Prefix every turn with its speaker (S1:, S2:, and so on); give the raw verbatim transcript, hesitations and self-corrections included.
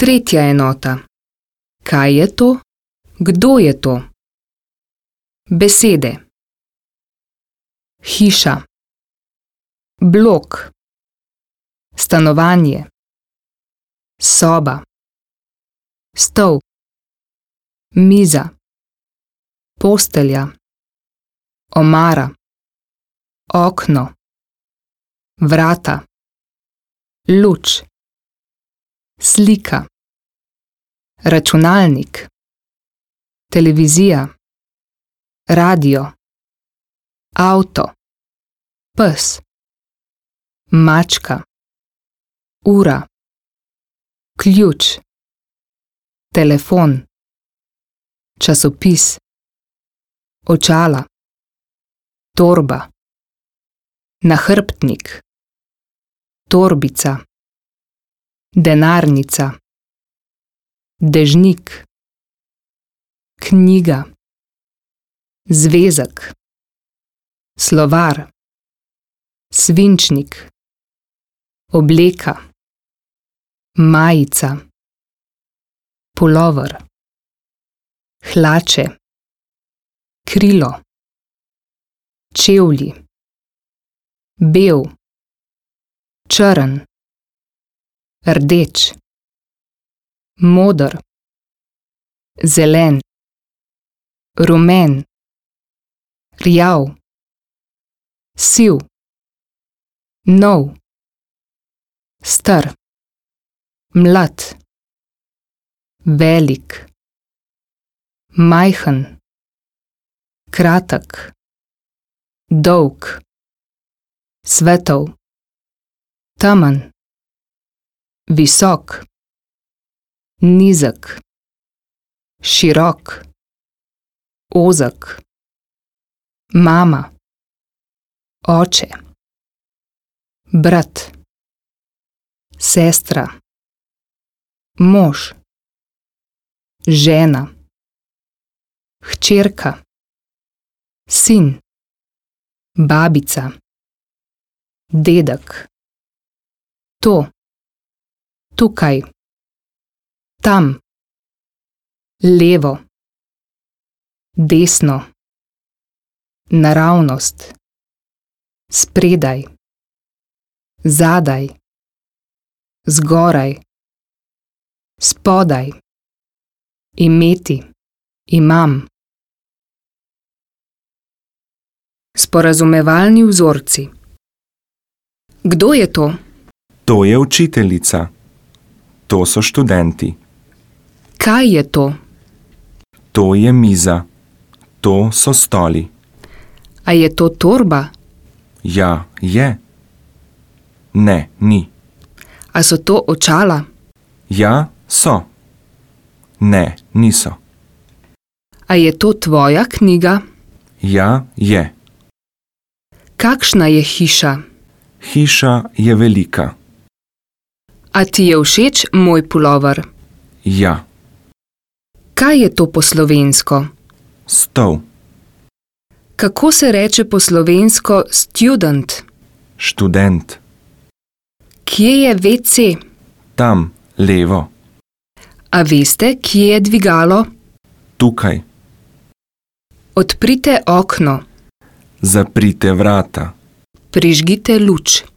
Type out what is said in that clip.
S1: Tretja enota. Kaj je to? Kdo je to? Besede. Hiša. Blok. Stanovanje. Soba. Stol. Miza. Postelja. Omara. Okno. Vrata. Luč. Slika. Računalnik. Televizija. Radio. Avto. Pes. Mačka. Ura. Ključ. Telefon. Časopis. Očala. Torba. Nahrbtnik. Torbica. Denarnica. Dežnik. Knjiga. Zvezek. Slovar. Svinčnik. Obleka. Majica. Pulover. Hlače. Krilo. Čevlji. Bel. Črn. Rdeč. Moder. Zelen. Rumen. Rjav. Siv. Nov. Star. Mlad. Velik. Majhen. Kratek. Dolg. Svetel. Temen. Visok. Nizek. Širok. Ozek. Mama. Oče. Brat. Sestra. Mož. Žena. Hčerka. Sin. Babica. Dedek. To. Tukaj. Tam. Levo. Desno. Naravnost. Spredaj. Zadaj. Zgoraj. Spodaj. Imeti. Imam. Sporazumevalni vzorci. Kdo je to?
S2: To je učiteljica. To so študenti.
S1: Kaj je to?
S2: To je miza. To so stoli.
S1: A je to torba?
S2: Ja, je. Ne, ni.
S1: A so to očala?
S2: Ja, so. Ne, niso.
S1: A je to tvoja knjiga?
S2: Ja, je.
S1: Kakšna je hiša?
S2: Hiša je velika.
S1: A ti je všeč moj pulover?
S2: Ja.
S1: Kaj je to po slovensko?
S2: Stol.
S1: Kako se reče po slovensko student?
S2: Študent.
S1: Kje je ve ce?
S2: Tam, levo.
S1: A veste, kje je dvigalo?
S2: Tukaj.
S1: Odprite okno.
S2: Zaprite vrata.
S1: Prižgite luč.